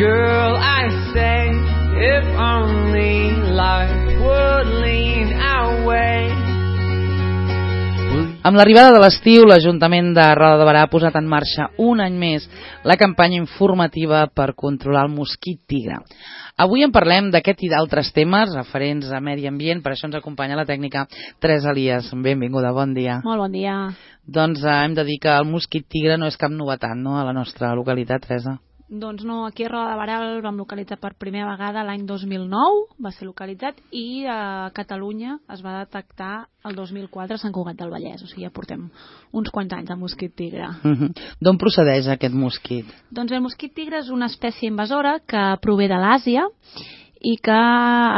Girl, I say, if only life would lean our way. Amb l'arribada de l'estiu, l'Ajuntament de Roda de Berà ha posat en marxa un any més la campanya informativa per controlar el mosquit tigre. Avui en parlem d'aquest i d'altres temes referents a medi ambient, per això ens acompanya la tècnica Teresa Elias. Benvinguda, bon dia. Molt bon dia. Doncs hem de dir que el mosquit tigre no és cap novetat, no?, a la nostra localitat, Teresa. Doncs no, aquí a Roda de Berà el vam localitzar per primera vegada l'any 2009, va ser localitzat, i a Catalunya es va detectar el 2004 a Sant Cugat del Vallès, o sigui, ja portem uns quants anys de mosquit tigre. D'on procedeix aquest mosquit? Doncs el mosquit tigre és una espècie invasora que prové de l'Àsia i que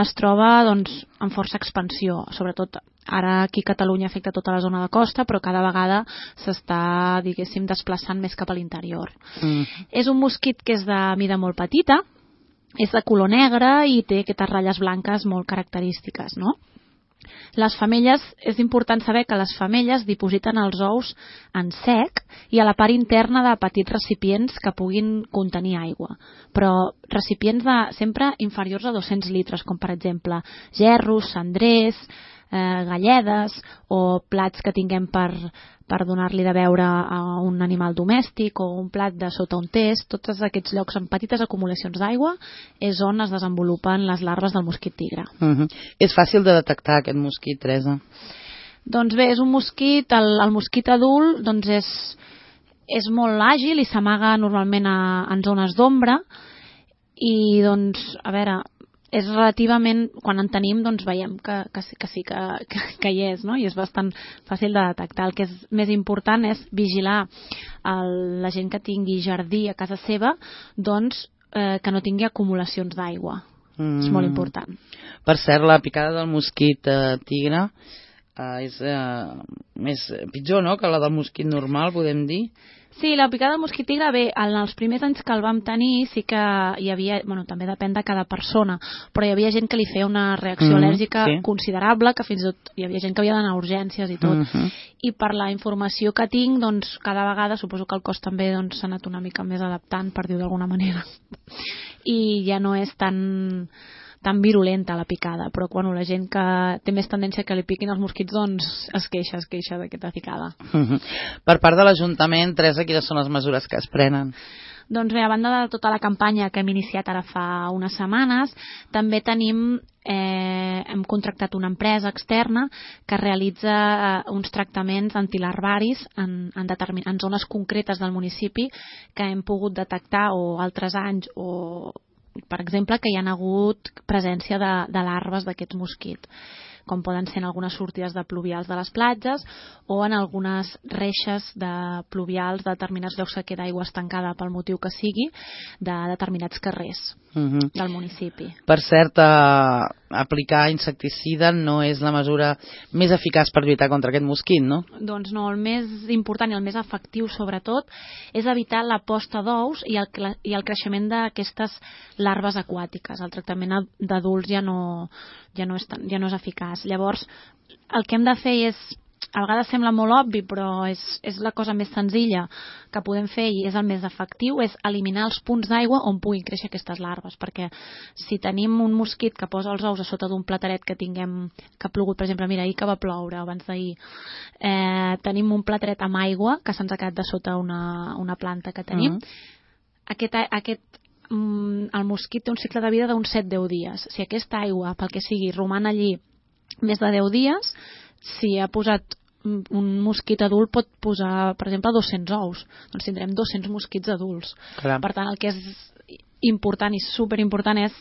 es troba doncs, en força expansió, sobretot ara aquí a Catalunya afecta tota la zona de costa, però cada vegada s'està, diguéssim, desplaçant més cap a l'interior. És un mosquit que és de mida molt petita, és de color negre i té aquestes ratlles blanques molt característiques, no? Les femelles, és important saber que les femelles dipositen els ous en sec i a la part interna de petits recipients que puguin contenir aigua, però recipients sempre inferiors a 200 litres, com per exemple gerros, cendrers, galledes o plats que tinguem per donar-li de beure a un animal domèstic o un plat de sota un test. Tots aquests llocs amb petites acumulacions d'aigua és on es desenvolupen les larves del mosquit tigre. És fàcil de detectar aquest mosquit, Teresa? Doncs bé, és un mosquit, el mosquit adult doncs és molt àgil i s'amaga normalment en zones d'ombra i doncs, a veure, és relativament, quan en tenim, doncs veiem que sí que hi és, no? I és bastant fàcil de detectar. El que és més important és vigilar la gent que tingui jardí a casa seva, doncs que no tingui acumulacions d'aigua. És molt important. Per cert, la picada del mosquit tigre és pitjor, no?, que la del mosquit normal, podem dir? Sí, la picada del mosquit tigre, bé, en els primers anys que el vam tenir sí que hi havia, bueno, també depèn de cada persona, però hi havia gent que li feia una reacció al·lèrgica considerable, que fins i tot hi havia gent que havia d'anar a urgències i tot. I per la informació que tinc, doncs cada vegada, suposo que el cos també s'ha anat una mica més adaptant, per dir-ho d'alguna manera, i ja no és tan virulenta la picada, però bueno, la gent que té més tendència que li piquin els mosquits doncs es queixa d'aquesta picada. Per part de l'Ajuntament, Teresa, quines són les mesures que es prenen? Doncs bé, a banda de tota la campanya que hem iniciat ara fa unes setmanes, també hem contractat una empresa externa que realitza uns tractaments antilarvaris en zones concretes del municipi que hem pogut detectar o altres anys o per exemple, que hi ha hagut presència de larves d'aquests mosquits, com poden ser en algunes sortides de pluvials de les platges o en algunes reixes de pluvials de determinats llocs que queda aigua estancada pel motiu que sigui de determinats carrers del municipi. Per cert, aplicar insecticida no és la mesura més eficaç per lluitar contra aquest mosquit, no? Doncs no, el més important i el més efectiu sobretot és evitar la posta d'ous i el creixement d'aquestes larves aquàtiques. El tractament d'adults ja no és eficaç. Llavors, el que hem de fer és, a vegades sembla molt obvi, però és la cosa més senzilla que podem fer i és el més efectiu, és eliminar els punts d'aigua on puguin créixer aquestes larves, perquè si tenim un mosquit que posa els ous a sota d'un plateret que ha plogut, per exemple, mira, ahir que va ploure abans d'ahir, tenim un plateret amb aigua que se'ns ha quedat de sota una planta que tenim, el mosquit té un cicle de vida d'uns 7-10 dies. Si aquesta aigua, pel que sigui, roman allí més de 10 dies, si ha posat un mosquit adult pot posar, per exemple, 200 ous. Doncs tindrem 200 mosquits adults. Clar. Per tant, el que és important i superimportant és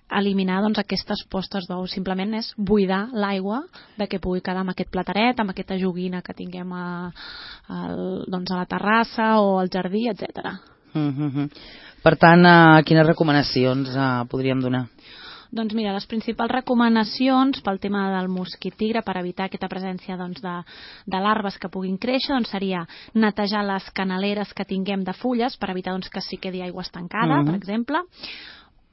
eliminar aquestes postes d'ous. Simplement és buidar l'aigua de que pugui quedar amb aquest plateret, amb aquesta joguina que tinguem a la terrassa o al jardí, etc. Per tant, quines recomanacions podríem donar? Doncs mira, les principals recomanacions pel tema del mosquit tigre per evitar aquesta presència de larves que puguin créixer seria netejar les canaleres que tinguem de fulles per evitar que s'hi quedi aigua estancada, per exemple,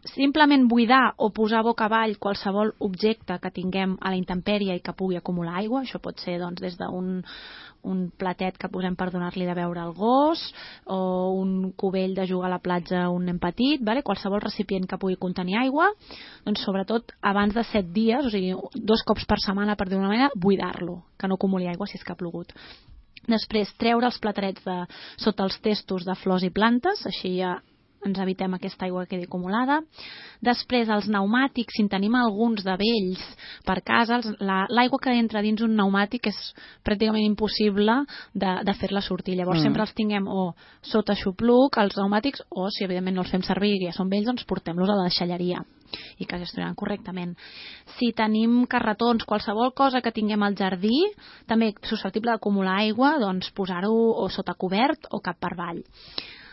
simplement buidar o posar boca avall qualsevol objecte que tinguem a la intempèrie i que pugui acumular aigua. Això pot ser doncs, des d'un platet que posem per donar-li de beure al gos, o un cubell de jugar a la platja a un nen petit, vale? Qualsevol recipient que pugui contenir aigua, doncs sobretot abans de 7 dies, o sigui 2 cops per setmana, per dir-ho d'una manera, buidar-lo, que no acumuli aigua si és que ha plogut. Després, treure els platerets de sota els testos de flors i plantes, així ja ens evitem aquesta aigua que quedi acumulada. Després, els pneumàtics, si en tenim alguns de vells per casa, l'aigua que entra dins un pneumàtic és pràcticament impossible de fer-la sortir. Llavors sempre els tinguem o sota xupluc, els pneumàtics, o si evidentment no els fem servir i ja són vells, doncs portem-los a la deixalleria i que gestionaran correctament. Si tenim carretons, qualsevol cosa que tinguem al jardí, també susceptible d'acumular aigua, doncs posar-ho o sota cobert o cap per avall.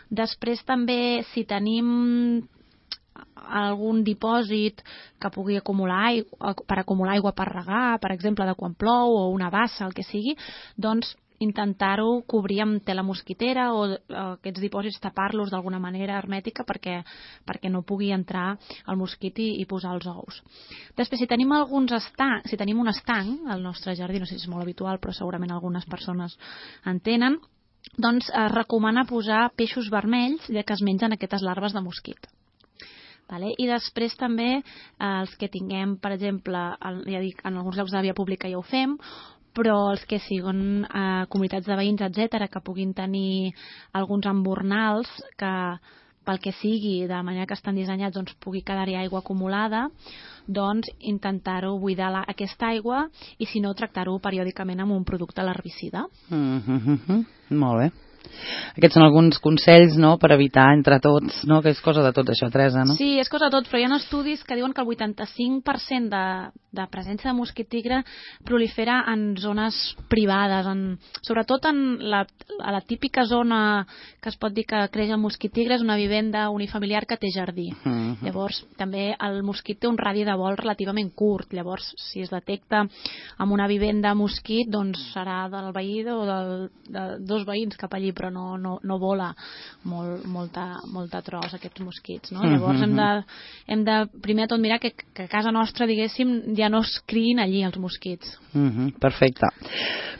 Després també, si tenim algun dipòsit que pugui acumular aigua per regar, per exemple, de quan plou, o una bassa, el que sigui, doncs intentar-ho cobrir amb tela mosquitera o aquests dipòsits tapar-los d'alguna manera hermètica perquè no pugui entrar el mosquit i posar els ous. Després, si tenim si tenim un estanc al nostre jardí, no sé si és molt habitual, però segurament algunes persones en tenen, doncs es recomana posar peixos vermells, ja que es mengen aquestes larves de mosquit. Vale? I després també els que tinguem, per exemple, ja dic, en alguns llocs de via pública ja ho fem, però els que siguin comunitats de veïns, etc., que puguin tenir alguns embornals que pel que sigui, de manera que estan dissenyats, doncs pugui quedar-hi aigua acumulada, doncs intentar-ho buidar aquesta aigua i si no, tractar-ho periòdicament amb un producte herbicida. Molt bé. Aquests són alguns consells, no?, per evitar entre tots, no?, que és cosa de tot això, Teresa, no? Sí, és cosa de tot, però hi ha estudis que diuen que el 85% de presència de mosquit tigre prolifera en zones privades, sobretot a la típica zona que es pot dir que creix el mosquit tigre és una vivenda unifamiliar que té jardí. Llavors, també el mosquit té un radi de vol relativament curt, llavors si es detecta en una vivenda mosquit, doncs serà del veí o de 2 veïns cap allí, però no vola molta tros aquests mosquits, no? Llavors hem de primer de tot mirar que a casa nostra, diguéssim, ja no es criïn allí els mosquits. Perfecte.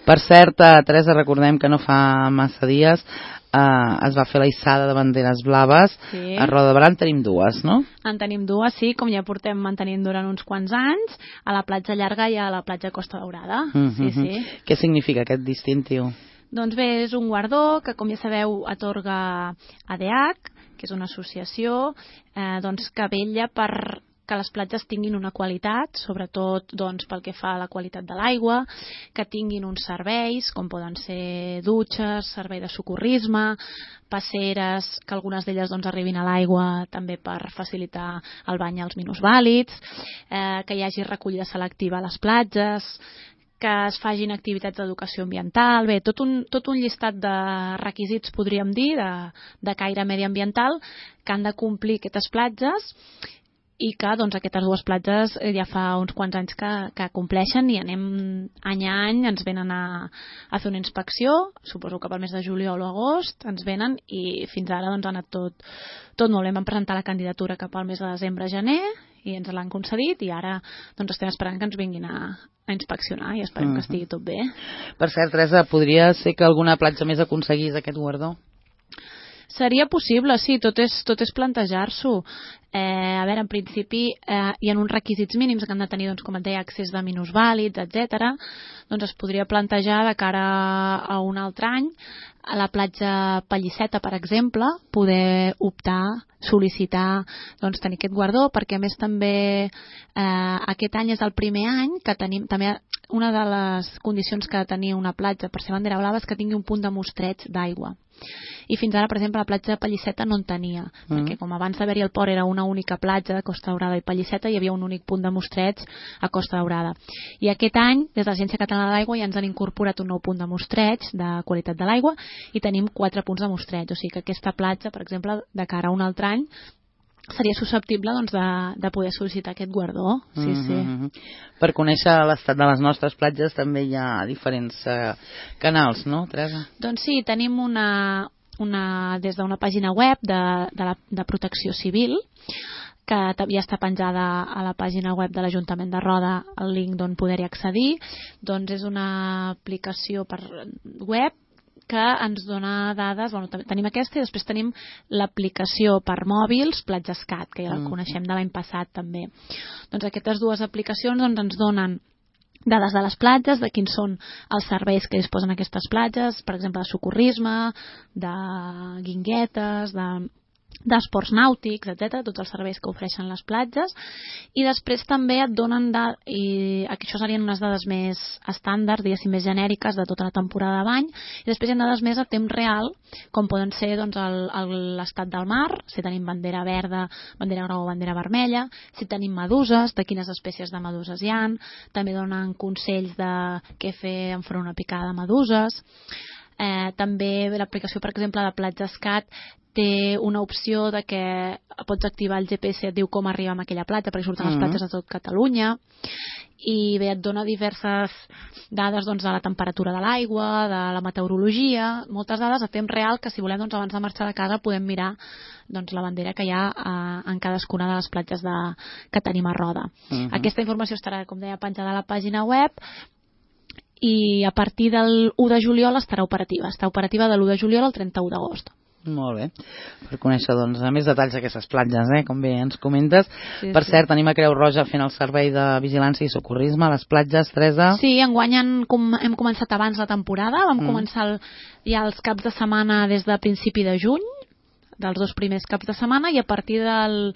Per cert, Teresa, recordem que no fa massa dies es va fer la hissada de banderes blaves. Sí. A Roda de Berà en tenim 2, no? En tenim 2, sí, com ja portem mantenint durant uns quants anys, a la platja Llarga i a la platja Costa Daurada. Sí. Què significa aquest distintiu? Doncs bé, és un guardó que, com ja sabeu, atorga ADH, que és una associació que vetlla per que les platges tinguin una qualitat, sobretot pel que fa a la qualitat de l'aigua, que tinguin uns serveis, com poden ser dutxes, servei de socorrisme, passeres, que algunes d'elles arribin a l'aigua també per facilitar el bany als minusvàlids, que hi hagi recollida selectiva a les platges, que es fagin activitats d'educació ambiental, bé, tot un llistat de requisits, podríem dir, de caire mediambiental que han de complir aquestes platges i que aquestes 2 platges ja fa uns quants anys que compleixen i anem any a any, ens venen a fer una inspecció, suposo que pel mes de juliol o agost ens venen i fins ara ha anat tot molt bé. Vam presentar la candidatura cap al mes de desembre-gener i ens l'han concedit i ara estem esperant que ens vinguin a inspeccionar i esperem que estigui tot bé. Per cert, Teresa, podria ser que alguna platja més aconseguís aquest guardó? Seria possible, sí, tot és plantejar-s'ho. A veure, en principi hi ha uns requisits mínims que han de tenir, com et deia, accés de minusvàlids, etc. Doncs es podria plantejar de cara a un altre any a la platja Pallisseta, per exemple, poder optar, sol·licitar tenir aquest guardó, perquè a més també aquest any és el primer any que tenim també una de les condicions que ha de tenir una platja per ser bandera blava és que tingui un punt de mostreig d'aigua. I fins ara, per exemple, la platja de Pallisseta no en tenia, perquè com abans d'haver-hi el port era una única platja de Costa Daurada i Pallisseta, hi havia un únic punt de mostreig a Costa Daurada. I aquest any, des de l'Agència Catalana de l'Aigua, ja ens han incorporat un nou punt de mostreig de qualitat de l'aigua i tenim 4 punts de mostreig. O sigui que aquesta platja, per exemple, de cara a un altre any, seria susceptible de poder sol·licitar aquest guardó. Sí. Per conèixer l'estat de les nostres platges també hi ha diferents canals, no, Teresa? Doncs sí, tenim des d'una pàgina web de Protecció Civil que ja està penjada a la pàgina web de l'Ajuntament de Roda, el link d'on poder-hi accedir. Doncs és una aplicació per web que ens dona dades, tenim aquesta i després tenim l'aplicació per mòbils PlatjaScat, que ja la coneixem de l'any passat també. Doncs aquestes dues aplicacions ens donen dades de les platges, de quins són els serveis que disposen aquestes platges, per exemple de socorrisme, de guinguetes, d'esports nàutics, etc., tots els serveis que ofereixen les platges, i després també et donen i això serien unes dades més estàndards, diguéssim, més genèriques de tota la temporada de bany, i després hi ha dades més a temps real, com poden ser l'estat del mar, si tenim bandera verda, bandera groga o bandera vermella, si tenim meduses, de quines espècies de meduses hi ha, també donen consells de què fer enfront una picada de meduses. També l'aplicació, per exemple, de PlatjaScat té una opció de que pots activar el GPS, et diu com arribar a aquella platja, perquè surten les platges de tot Catalunya, i bé, et dona diverses dades de la temperatura de l'aigua, de la meteorologia, moltes dades a temps real que si volem abans de marxar de casa podem mirar la bandera que hi ha en cadascuna de les platges que tenim a Roda. Aquesta informació estarà, com deia, penjada a la pàgina web, i a partir del 1 de juliol estarà operativa. Està operativa de l'1 de juliol al 31 d'agost. Molt bé, per conèixer més detalls d'aquestes platges, com bé ens comentes. Per cert, tenim a Creu Roja fent el servei de vigilància i socorrisme a les platges, Teresa. Sí, enguany hem començat abans la temporada, vam començar ja els caps de setmana des de principi de juny, dels 2 primers caps de setmana, i a partir del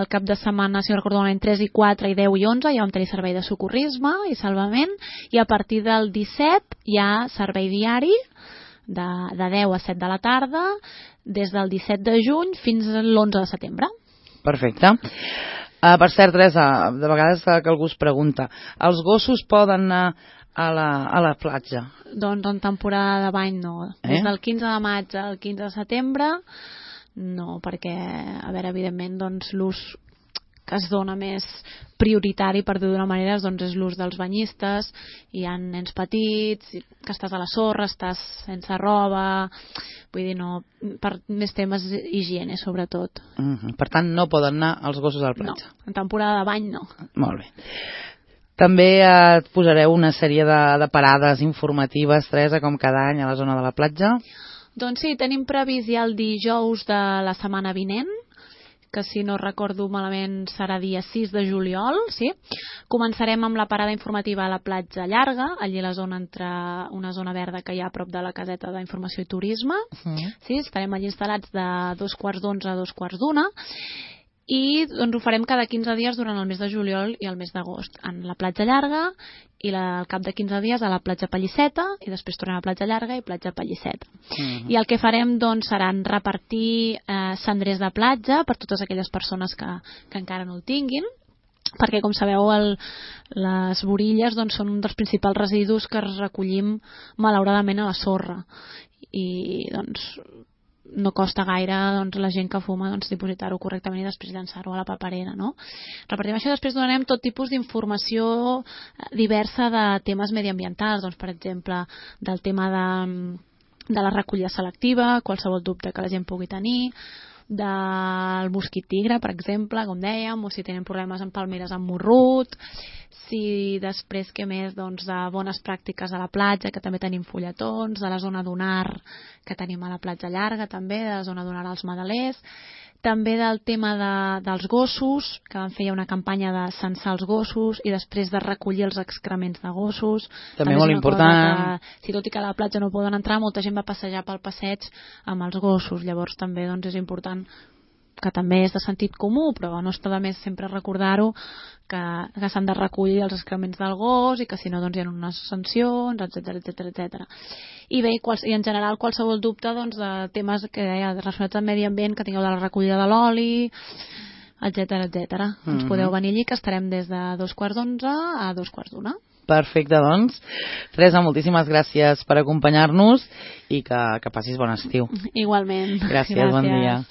cap de setmana, si no recordo malament, 3 i 4 i 10 i 11 ja vam tenir servei de socorrisme i salvament, i a partir del 17 hi ha servei diari de 10 a 7 de la tarda des del 17 de juny fins a l'11 de setembre. Perfecte. Per cert, Teresa, de vegades que algú es pregunta, els gossos poden anar a la platja? Doncs en temporada de bany no. Des del 15 de maig al 15 de setembre no, perquè, a veure, evidentment, l'ús que es dona més prioritari, per dir-ho d'una manera, és l'ús dels banyistes. Hi ha nens petits, que estàs a la sorra, estàs sense roba, vull dir, no, per més temes higiene, sobretot. Per tant, no poden anar els gossos a la platja? No, en temporada de bany no. Molt bé. També et posareu una sèrie de parades informatives, Teresa, com cada any a la zona de la platja? Doncs sí, tenim previst ja el dijous de la setmana vinent, que si no recordo malament serà dia 6 de juliol, sí? Començarem amb la parada informativa a la platja Llarga, allí a la zona entre una zona verda que hi ha a prop de la caseta d'informació i turisme. Sí, estarem allí instal·lats de 2:45 a 2:45, i ho farem cada 15 dies durant el mes de juliol i el mes d'agost, en la platja Llarga, i al cap de 15 dies a la platja Pallisseta, i després tornem a la platja Llarga i platja Pallisseta. I el que farem serà repartir cendrers de platja per totes aquelles persones que encara no el tinguin, perquè, com sabeu, les borilles són un dels principals residus que recollim malauradament a la sorra, i no costa gaire la gent que fuma dipositar-ho correctament i després llançar-ho a la paperera, no? Repartim això, després donarem tot tipus d'informació diversa de temes mediambientals, per exemple, del tema de la recollida selectiva, qualsevol dubte que la gent pugui tenir, del mosquit tigre, per exemple, com dèiem, o si tenen problemes amb palmeres amb morrut, si després, què més, de bones pràctiques a la platja, que també tenim fulletons, de la zona dunar que tenim a la platja Llarga també, de la zona dunar als Madalers, també del tema dels gossos, que vam fer una campanya de censar els gossos i després de recollir els excrements de gossos. També molt important. Si tot i que a la platja no poden entrar, molta gent va passejar pel passeig amb els gossos, llavors també és important, que també és de sentit comú, però no està de més sempre recordar-ho, que s'han de recollir els excrements del gos i que si no hi ha unes sancions, etc. I bé, i en general qualsevol dubte de temes que relacionats amb medi ambient, que tingueu de la recollida de l'oli, etc. Ens podeu venir allí, que estarem des de 2:45 a 2:45. Perfecte, doncs. Teresa, moltíssimes gràcies per acompanyar-nos i que passis bon estiu. Igualment. Gràcies, bon dia.